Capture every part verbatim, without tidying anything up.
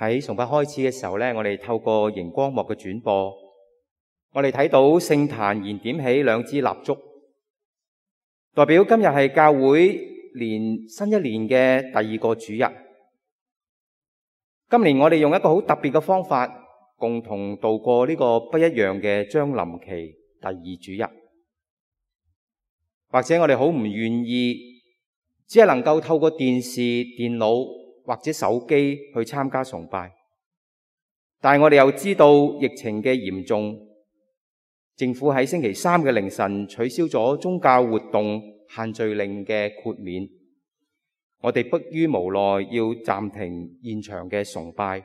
喺崇拜開始嘅時候咧，我哋透過熒光幕嘅轉播，我哋睇到聖壇燃點起兩支蠟燭，代表今日係教會年新一年嘅第二個主日。今年我哋用一個好特別嘅方法，共同度過呢個不一樣嘅將臨期第二主日。或者我哋好唔願意，只係能夠透過電視、電腦或者手機去參加崇拜，但係我哋又知道疫情嘅嚴重，政府喺星期三嘅凌晨取消咗宗教活動限聚令嘅豁免，我哋迫於無奈要暫停現場嘅崇拜，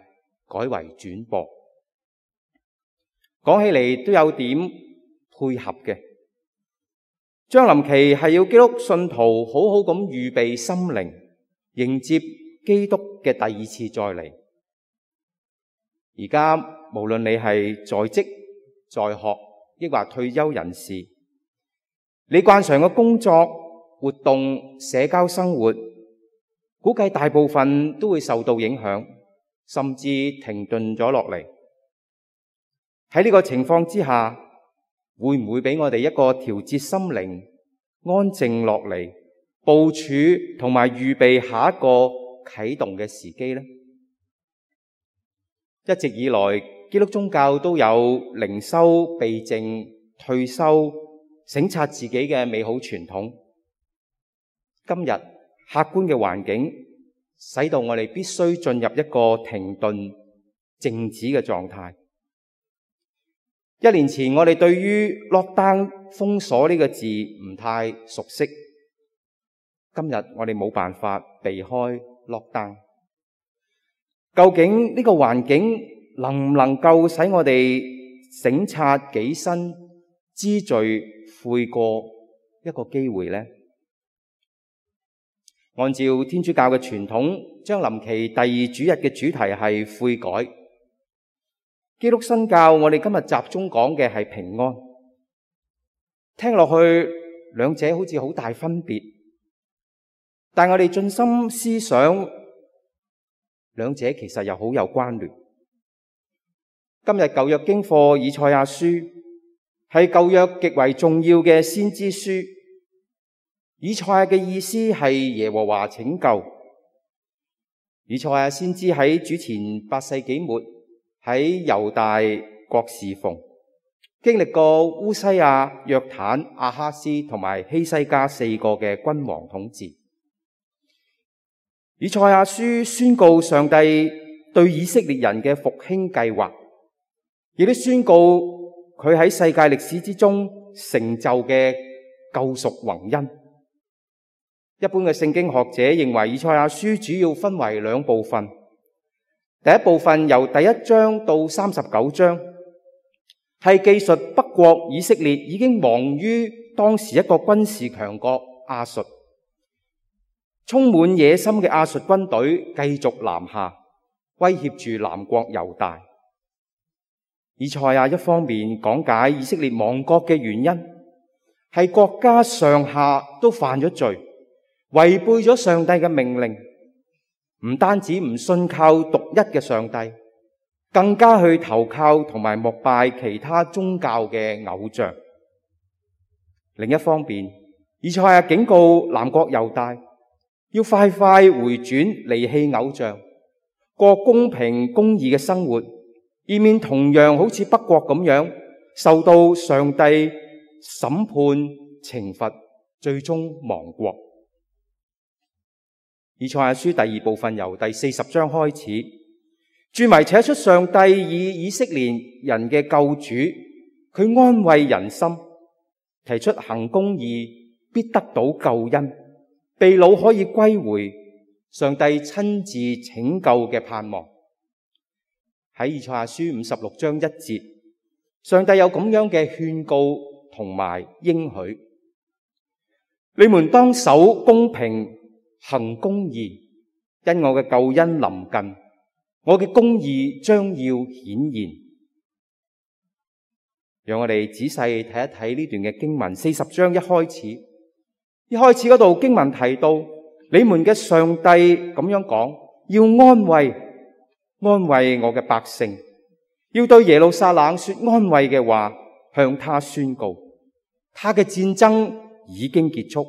改為轉播。講起嚟都有點配合嘅。將臨期係要基督信徒好好咁預備心靈，迎接基督嘅第二次再嚟。而家無論你係在職、在學，抑或退休人士，你慣常嘅工作、活動、社交生活，估計大部分都會受到影響，甚至停頓咗落嚟。喺呢個情況之下，會唔會俾我哋一個調節心靈、安靜落嚟、部署同埋預備下一個啟動嘅時機呢？一直以來，基督宗教都有靈修、避靜、退休、省察自己嘅美好傳統。今日客觀嘅環境，使到我哋必須進入一個停頓、靜止嘅狀態。一年前我哋對於 lockdown 封鎖呢個字唔太熟悉，今日我哋冇辦法避開 lockdown。究竟呢個環境能唔能夠使我哋省察己身、知罪悔過一個機會呢？按照天主教嘅傳統，將臨期第二主日嘅主題係悔改。基督新教，我哋今日集中講嘅係平安。聽落去兩者好似好大分別，但我哋盡心思想，兩者其實又好有關聯。今日舊約經課以賽亞書係舊約極為重要嘅先知書。以賽亞嘅意思係耶和華拯救。以賽亞先知喺主前八世紀末，喺猶大國侍奉，經歷過烏西亞、約坦、亞哈斯同埋希西家四個嘅君王統治。以賽亞書宣告上帝對以色列人嘅復興計劃，亦都宣告佢喺世界歷史之中成就嘅救贖宏恩。一般嘅聖經學者認為，以賽亞書主要分為兩部分。第一部分由第一章到三十九章，係記述北國以色列已經亡於當時一個軍事強國亞述，充滿野心嘅亞述軍隊繼續南下，威脅住南國猶大。以賽亞一方面講解以色列亡國嘅原因，係國家上下都犯咗罪，違背咗上帝嘅命令。唔單止唔信靠獨一嘅上帝，更加去投靠同埋膜拜其他宗教嘅偶像。另一方面，以賽亞警告南國猶大要快快回轉，離棄偶像，過公平公義嘅生活，以免同樣好似北國咁樣受到上帝審判懲罰，最終亡國。以賽亞書第二部分由第四十章開始，注明寫出上帝以以色列人嘅救主，佢安慰人心，提出行公義必得到救恩，被擄可以歸回，上帝親自拯救嘅盼望。喺以賽亞書五十六章一節，上帝有咁樣嘅勸告同埋應許：你們當守公平，行公義，因我嘅救恩臨近，我嘅公義將要顯現。讓我哋仔細睇一睇呢段嘅經文。四十章一開始，一開始嗰度經文提到，你們嘅上帝咁樣講，要安慰安慰我嘅百姓，要對耶路撒冷說安慰嘅話，向他宣告，他嘅戰爭已經結束，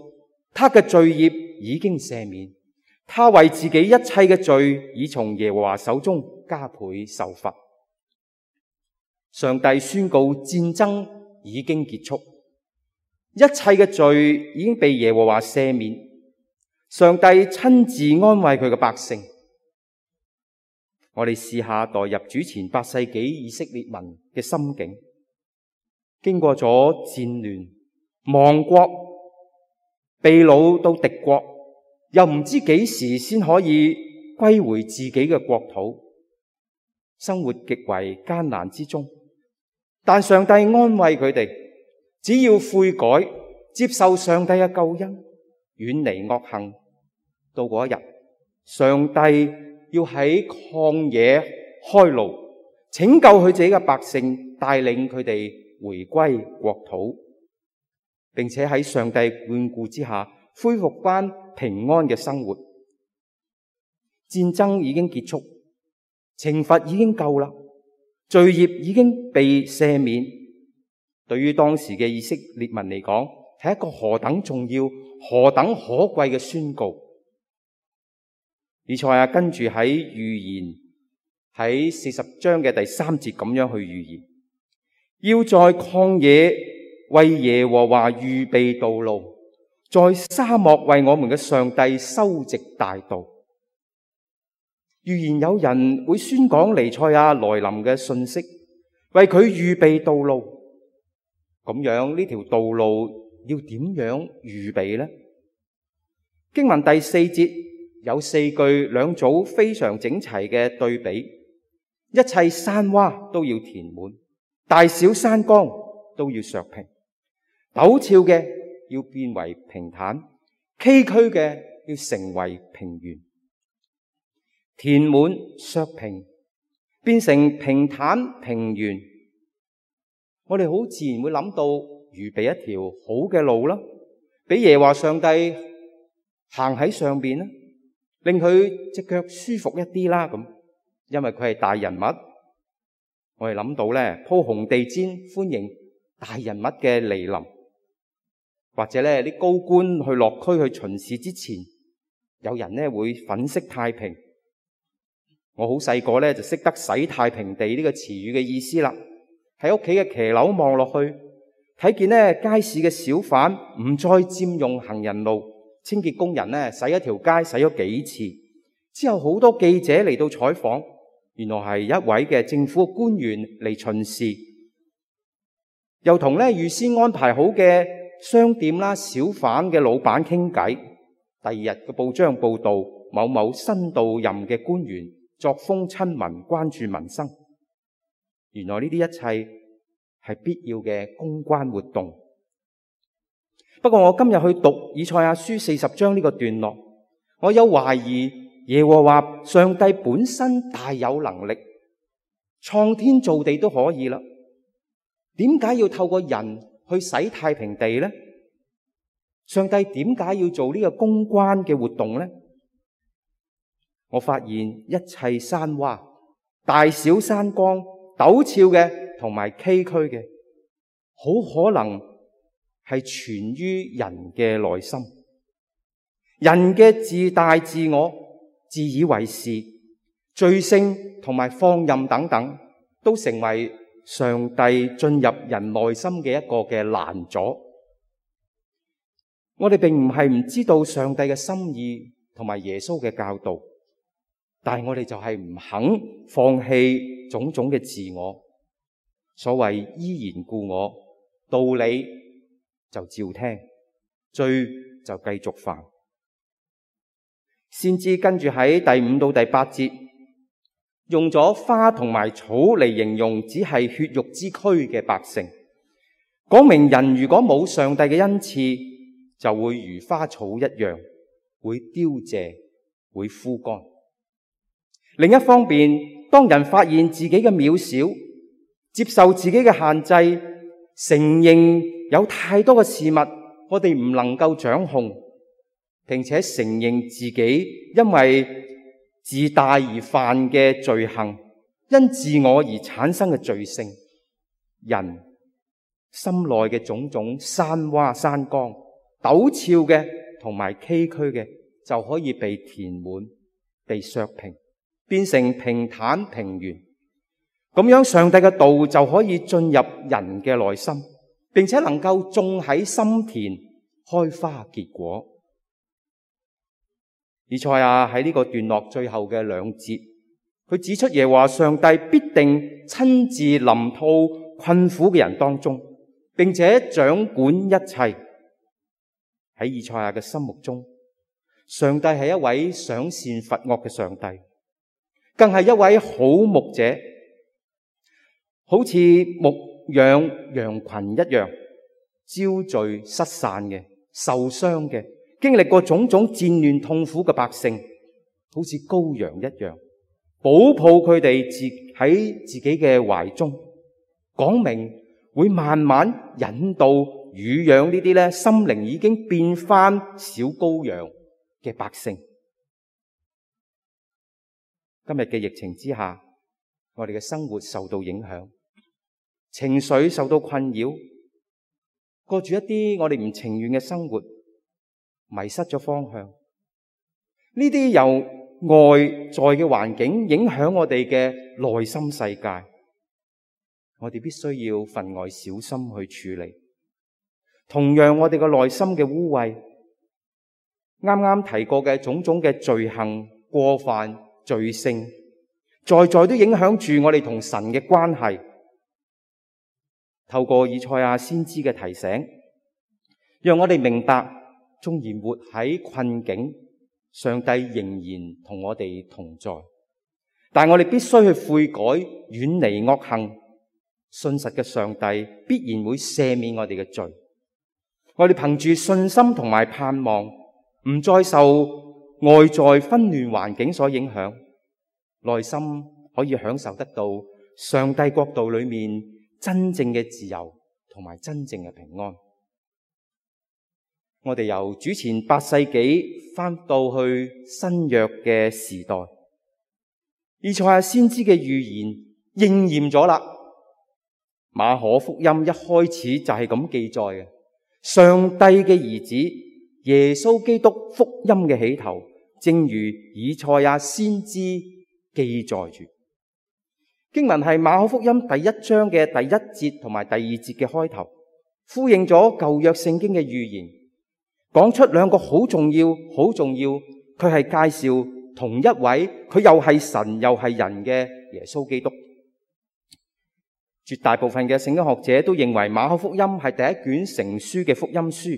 他嘅罪孽已經赦免，他為自己一切嘅罪已從耶和華手中加倍受罰。上帝宣告戰爭已經結束，一切嘅罪已經被耶和華赦免。上帝親自安慰佢嘅百姓。我哋試下代入主前八世紀以色列民嘅心境，經過咗戰亂、亡國、被擄到敵國，又唔知幾時先可以歸回自己嘅國土，生活極為艱難之中。但上帝安慰佢哋，只要悔改，接受上帝嘅救恩，遠離惡行，到嗰一日，上帝要喺曠野開路，拯救佢自己嘅百姓，帶領佢哋回歸國土，並且喺上帝眷顧之下，恢復翻平安嘅生活。戰爭已經結束，懲罰已經夠啦，罪孽已經被赦免。對於當時嘅以色列民嚟講，係一個何等重要、何等可貴嘅宣告。以賽亞跟住喺預言，喺四十章嘅第三節咁樣去預言，要在曠野為耶和華預備道路，在沙漠為我們嘅上帝修直大道。預言有人會宣講彌賽亞來臨嘅信息，為佢預備道路。咁樣呢條道路要點樣預備呢？經文第四節有四句兩組非常整齊嘅對比，一切山窪都要填滿，大小山崗都要削平，陡峭嘅要變為平坦，崎嶇嘅要成為平原。填滿、削平，變成平坦平原，我哋好自然會諗到預備一條好嘅路啦，俾耶和華上帝行喺上邊啦，令佢隻腳舒服一啲啦咁，因為佢係大人物。我哋諗到咧鋪紅地氈歡迎大人物嘅嚟臨，或者咧啲高官去落區去巡視之前，有人咧會粉飾太平。我好細個咧就識得洗太平地呢個詞語嘅意思啦。喺屋企嘅騎樓望落去，睇見咧街市嘅小販唔再佔用行人路，清潔工人咧洗一條街洗咗幾次之後，好多記者嚟到採訪，原來係一位嘅政府官員嚟巡視，又同咧預先安排好嘅商店啦、小販嘅老闆傾偈。第二日嘅報章報道，某某新到任嘅官員作風親民，關注民生。原來呢啲一切係必要嘅公關活動。不過我今日去讀以賽亞書四十章呢個段落，我有懷疑耶和華上帝本身大有能力，創天造地都可以啦，點解要透過人去洗太平地呢？上帝點解要做呢個公關嘅活動呢？我發現一切山窪、大小山崗、陡峭嘅同埋崎嶇嘅，好可能係存於人嘅內心。人嘅自大自我、自以為是、罪性同埋放任等等，都成為上帝進入人內心嘅一個嘅攔阻。我哋並唔係唔知道上帝嘅心意同埋耶穌嘅教導，但係我哋就係唔肯放棄種種嘅自我。所謂依然故我，道理就照聽，罪就繼續犯。先知跟住喺第五到第八節，用咗花同埋草嚟形容只係血肉之軀嘅百姓，講明人如果冇上帝嘅恩賜，就會如花草一樣，會凋謝，會枯乾。另一方面，當人發現自己嘅渺小，接受自己嘅限制，承認有太多嘅事物我哋唔能夠掌控，並且承認自己因為自大而犯嘅罪行，因自我而產生嘅罪性，人心內嘅種種山窪山崗、陡峭嘅同埋崎嶇嘅，就可以被填滿、被削平，變成平坦平原。咁樣上帝嘅道就可以進入人嘅內心，並且能夠種喺心田，開花結果。以賽亞喺呢個段落最後嘅兩節，佢指出耶和華上帝必定親自臨到困苦嘅人當中，並且掌管一切。喺以賽亞嘅心目中，上帝係一位賞善罰惡嘅上帝，更係一位好牧者，好似牧養羊群一樣，招聚失散嘅、受傷嘅、經歷過種種戰亂痛苦嘅百姓，好似羔羊一樣，保抱佢哋自喺自己嘅懷中，講明會慢慢引導乳養呢啲咧心靈已經變翻小羔羊嘅百姓。今日嘅疫情之下，我哋嘅生活受到影響，情緒受到困擾，過住一啲我哋唔情願嘅生活，迷失咗方向。呢啲由外在嘅環境影響我哋嘅內心世界，我哋必須要分外小心去處理。同樣我哋嘅內心嘅污穢，啱啱提過嘅種種嘅罪行、過犯、罪性，在在都影響住我哋同神嘅關係。透過以賽亞先知嘅提醒，讓我哋明白，縱然活喺困境，上帝仍然同我哋同在。但我哋必須去悔改，遠離惡行。信實嘅上帝必然會赦免我哋嘅罪。我哋憑住信心同埋盼望，唔再受外在紛亂環境所影響，內心可以享受得到上帝國度裏面真正嘅自由同埋真正嘅平安。我哋由主前八世紀翻到去新約嘅時代，以賽亞先知嘅預言應驗咗啦。馬可福音一開始就係咁記載嘅，上帝嘅兒子耶穌基督福音嘅起頭，正如以賽亞先知記載住。經文係馬可福音第一章嘅第一節同埋第二節嘅開頭，呼應咗舊約聖經嘅預言，講出兩個好重要、好重要，佢係介紹同一位，佢又係神又係人嘅耶穌基督。絕大部分嘅聖經學者都認為馬可福音係第一卷成書嘅福音書，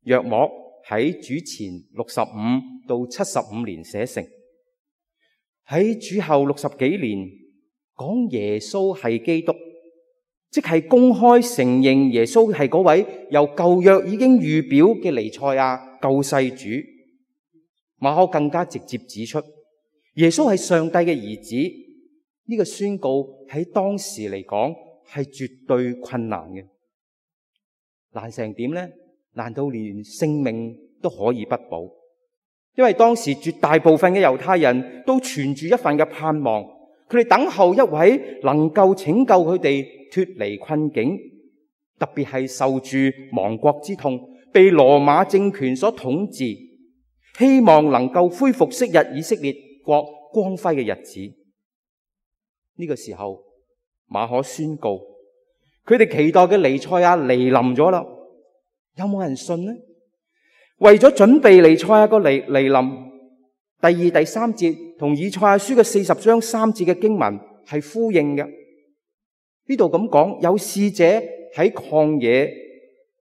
約莫喺主前六十五到七十五年寫成。喺主後六十幾年，講耶穌係基督，即係公開承認耶穌係嗰位由舊約已經預表嘅彌賽亞救世主。馬可更加直接指出，耶穌係上帝嘅兒子。呢個宣告喺當時嚟講係絕對困難嘅，難成點呢？難道連性命都可以不保？因為當時絕大部分嘅猶太人都存住一份嘅盼望，佢哋等候一位能夠拯救佢哋脫離困境，特別係受住亡國之痛，被羅馬政權所統治，希望能夠恢復昔日以色列國光輝嘅日子。呢個時候，馬可宣告，佢哋期待嘅彌賽亞嚟臨咗啦。有冇人信呢？為咗準備彌賽亞個嚟嚟臨，第二、第三節同以賽亞書嘅四十章三節嘅經文係呼應嘅。呢度咁講，有使者喺曠野，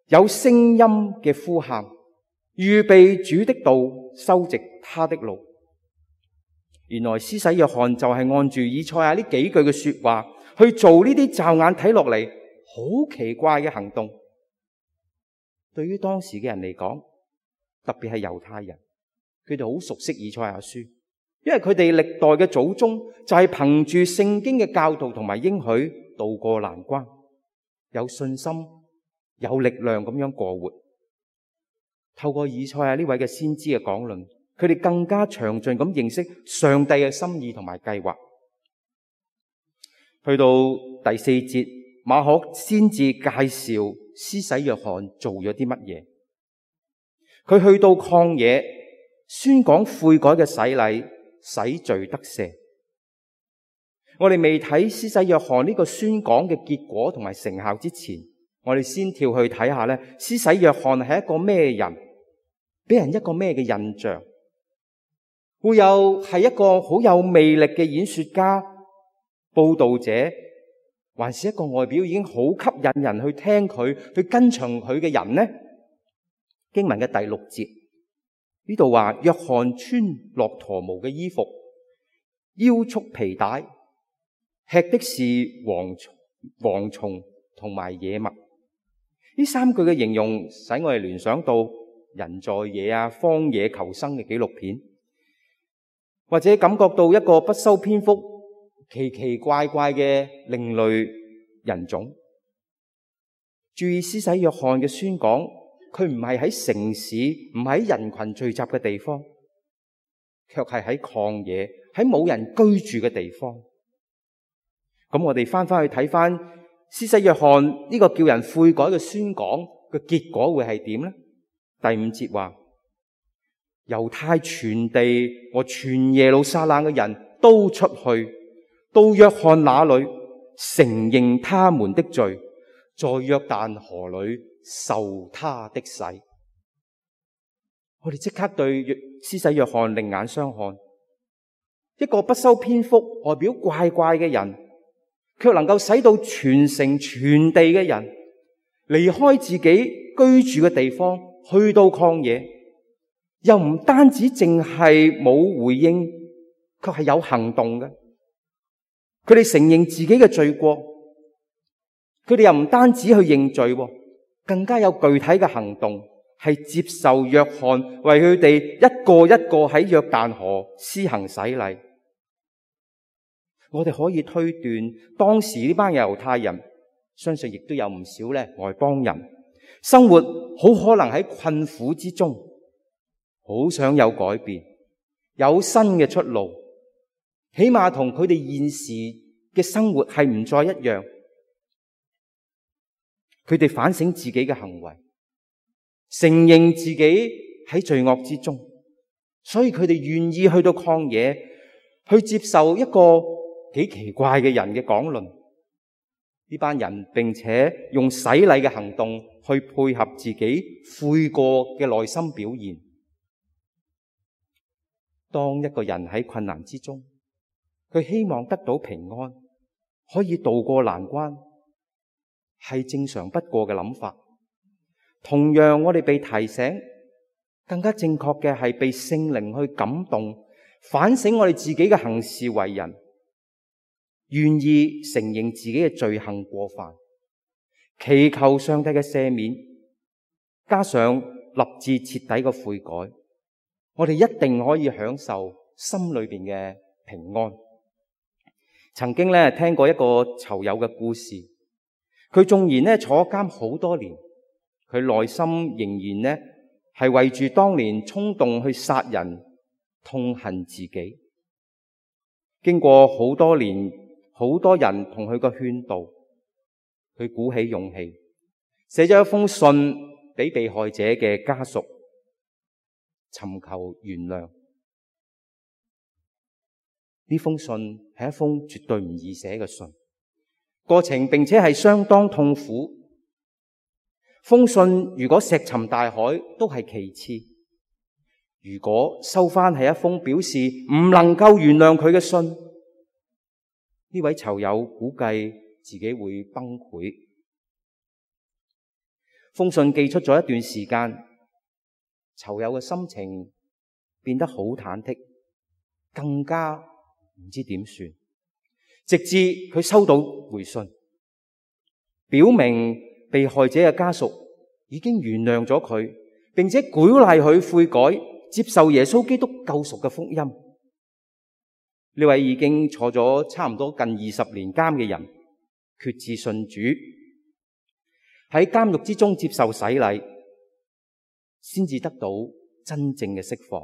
有聲音嘅呼喊，預備主的道，修直他的路。原來施洗約翰就係按住以賽亞呢幾句嘅說話去做呢啲驟眼睇落嚟好奇怪嘅行動。對於當時嘅人嚟講，特別係猶太人，佢哋好熟悉以賽亞書，因為佢哋歷代嘅祖宗就係憑住聖經嘅教導同埋應許渡過難關，有信心、有力量咁樣過活。透過以賽亞呢位嘅先知嘅講論，佢哋更加詳盡咁認識上帝嘅心意同埋計劃。去到第四節，馬可先至介紹施洗約翰做咗啲乜嘢。佢去到曠野宣講悔改嘅洗禮，使罪得赦。我哋未睇施洗約翰呢個宣講嘅結果同埋成效之前，我哋先跳去睇下咧，施洗約翰係一個咩人，俾人一個咩嘅印象？會有係一個好有魅力嘅演說家、佈道者，還是一個外表已經好吸引人去聽佢、去跟從佢嘅人呢？經文嘅第六節呢度話，約翰穿駱駝毛嘅衣服，腰束皮帶，吃的是蝗蟲、蝗蟲同埋野蜜。呢三句嘅形容使我哋聯想到人在野啊、荒野求生嘅紀錄片，或者感覺到一個不修邊幅、奇奇怪怪嘅另類人種。注意施洗約翰嘅宣講，佢唔係喺城市，唔係喺人群聚集嘅地方，卻係喺曠野，喺冇人居住嘅地方。咁我哋翻翻去睇翻施洗約翰呢個叫人悔改嘅宣講嘅結果會係點呢？第五節話，猶太全地和全耶路撒冷嘅人都出去到約翰那裏，承認他們的罪，在約旦河裏受他的洗。我哋即刻對施洗約翰另眼相看，一個不修邊幅、外表怪怪嘅人，卻能夠使到全城全地嘅人離開自己居住嘅地方，去到曠野，又唔單止淨係冇回應，卻係有行動嘅。佢哋承認自己嘅罪過，佢哋又唔單止去認罪，更加有具體嘅行動，係接受約翰為佢哋一個一個喺約旦河施行洗禮。我哋可以推斷，當時呢班猶太人，相信亦都有唔少咧外邦人，生活好可能喺困苦之中，好想有改變，有新嘅出路，起碼同佢哋現時嘅生活係唔再一樣。佢哋反省自己嘅行為，承認自己喺罪惡之中，所以佢哋願意去到曠野，去接受一個幾奇怪嘅人嘅講論。呢班人並且用洗禮嘅行動去配合自己悔過嘅內心表現。當一個人喺困難之中，佢希望得到平安，可以渡過難關，係正常不過嘅諗法。同樣，我哋被提醒，更加正確嘅係被聖靈去感動，反省我哋自己嘅行事為人，願意承認自己嘅罪行過犯，祈求上帝嘅赦免，加上立志徹底嘅悔改，我哋一定可以享受心裏邊嘅平安。曾經咧聽過一個囚友嘅故事，佢縱然咧坐監好多年，佢內心仍然咧係為住當年衝動去殺人痛恨自己。經過好多年，好多人同佢個勸導，佢鼓起勇氣，寫咗一封信俾被害者嘅家屬，尋求原諒。呢封信係一封絕對唔易寫嘅信，過程並且係相當痛苦。封信如果石沉大海都係其次，如果收翻係一封表示唔能夠原諒佢嘅信，呢位囚友估計自己會崩潰。封信寄出咗一段時間，囚友嘅心情變得好忐忑，更加唔知點算。直至佢收到回信，表明被害者嘅家屬已經原諒咗佢，並且鼓勵佢悔改，接受耶穌基督救贖嘅福音。呢位已經坐咗差唔多近二十年監嘅人，決志信主，喺監獄之中接受洗禮，先至得到真正嘅釋放，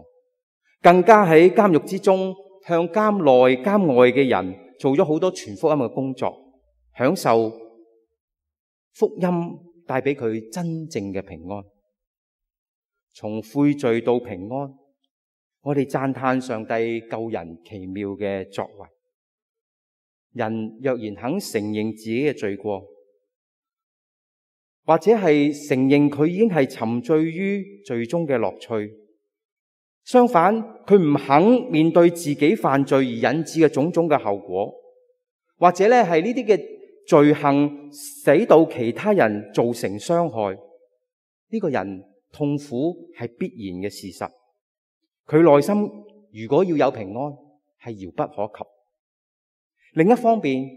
更加喺監獄之中向監內監外嘅人做咗好多傳福音嘅工作，享受福音帶俾佢真正嘅平安。從悔罪到平安，我哋讚嘆上帝救人奇妙嘅作為。人若然肯承認自己嘅罪過，或者係承認佢已經係沉醉於罪中嘅樂趣，相反佢唔肯面對自己犯罪而引致嘅種種嘅後果，或者咧係呢啲嘅罪行使到其他人造成傷害，呢個人痛苦係必然嘅事實。佢內心如果要有平安，係遙不可及。另一方面，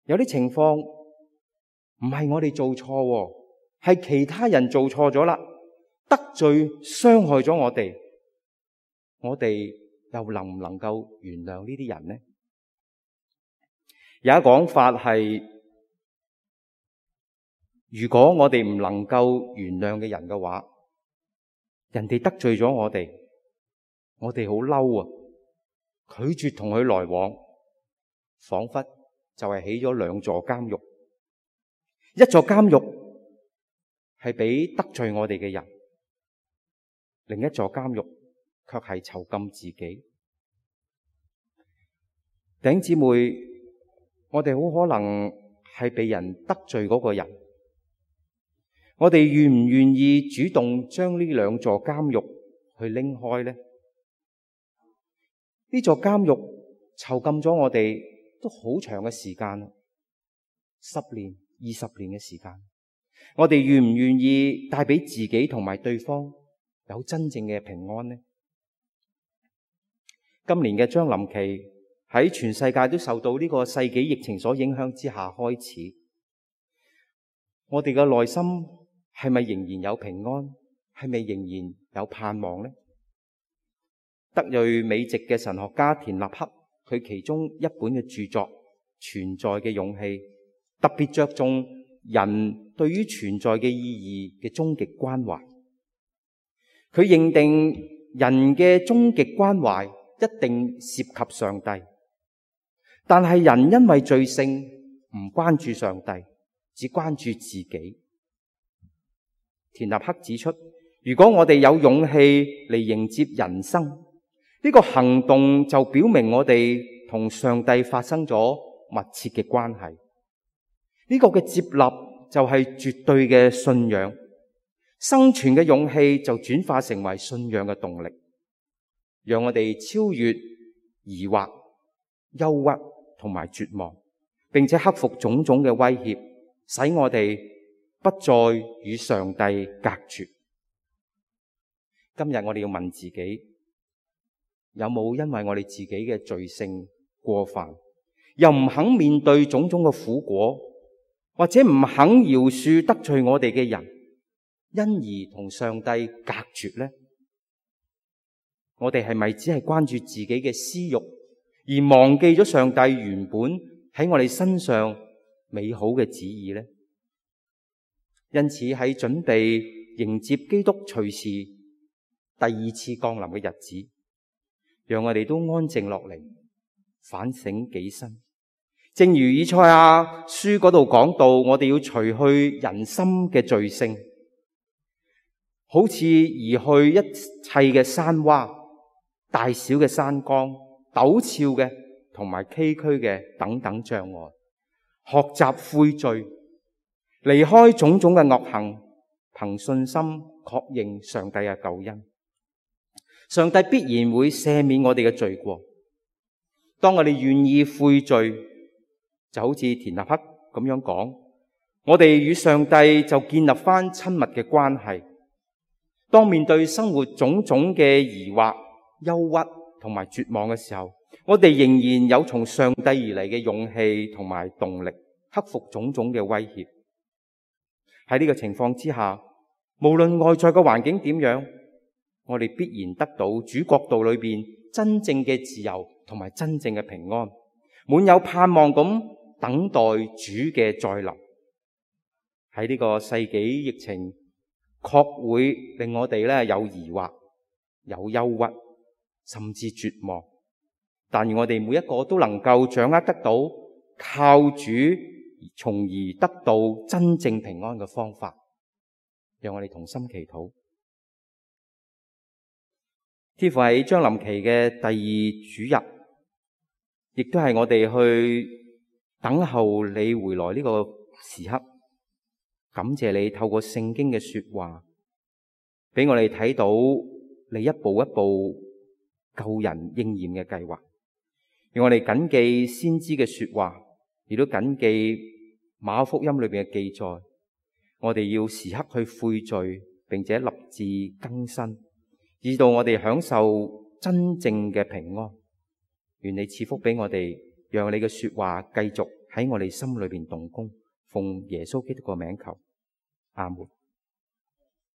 有啲情況唔係我哋做錯，係其他人做錯咗啦，得罪傷害咗我哋，我哋又能唔能夠原諒呢啲人呢？有一講法係，如果我哋唔能夠原諒嘅人嘅話，人哋得罪咗我哋，我哋好嬲啊，拒絕同佢來往，仿佛就係起咗兩座監獄。一座監獄係俾得罪我哋嘅人，另一座監獄卻係囚禁自己。弟兄姊妹，我哋好可能係被人得罪嗰個人，我哋願唔願意主動將呢兩座監獄去拎開呢？呢座監獄囚禁咗我哋都好長嘅時間，十年、二十年嘅時間，我哋願唔願意帶俾自己同埋對方有真正嘅平安呢？今年嘅將臨期喺全世界都受到呢個世紀疫情所影響之下開始，我哋嘅內心係咪仍然有平安？係咪仍然有盼望呢？德裔美籍嘅神學家田納克，佢其中一本嘅著作《存在嘅勇氣》，特別着重人對於存在嘅意義嘅終極關懷。佢認定人嘅終極關懷一定涉及上帝，但係人因為罪性唔關注上帝，只關注自己。田納克指出，如果我哋有勇氣嚟迎接人生，呢個行動就表明我哋同上帝發生咗密切嘅關係。呢個嘅接納就係絕對嘅信仰，生存嘅勇氣就轉化成為信仰嘅動力，讓我哋超越疑惑、憂鬱同埋絕望，並且克服種種嘅威脅，使我哋不再與上帝隔絕。今日我哋要問自己，有冇因為我哋自己嘅罪性過犯，又唔肯面對種種嘅苦果，或者唔肯饒恕得罪我哋嘅人，因而同上帝隔絕呢？我哋係咪只係關注自己嘅私欲，而忘記咗上帝原本喺我哋身上美好嘅旨意呢？因此喺準備迎接基督隨時第二次降臨嘅日子，讓我哋都安靜落嚟，反省己身。正如以賽亞書嗰度講到，我哋要除去人心嘅罪性，好似移去一切嘅山窪、大小嘅山崗、陡峭嘅同埋崎嶇嘅等等障礙，學習悔罪，離開種種嘅惡行，憑信心確認上帝嘅救恩。上帝必然會赦免我哋嘅罪過。當我哋願意悔罪，就好似田納克咁樣講，我哋與上帝就建立翻親密嘅關係。當面對生活種種嘅疑惑、憂鬱同埋絕望嘅時候，我哋仍然有從上帝而嚟嘅勇氣同埋動力，克服種種嘅威脅。喺呢個情況之下，無論外在嘅環境點樣，我哋必然得到主國度裏邊真正嘅自由同埋真正嘅平安，滿有盼望咁等待主嘅再臨。喺呢個世紀疫情，確會令我哋咧有疑惑、有憂鬱，甚至絕望。但願我哋每一個都能夠掌握得到靠主，從而得到真正平安嘅方法。讓我哋同心祈禱。天父，喺將臨期嘅第二主日，亦都係我哋去等候你回來呢個時刻。感謝你透過聖經嘅說話，俾我哋睇到你一步一步救人應驗嘅計劃。讓我哋謹記先知嘅說話，亦都謹記馬可福音裏邊嘅記載。我哋要時刻去悔罪，並且立志更新，以到我哋享受真正嘅平安。願你賜福俾我哋，讓你嘅說話繼續喺我哋心裏邊動工。奉耶穌基督個名求，阿門。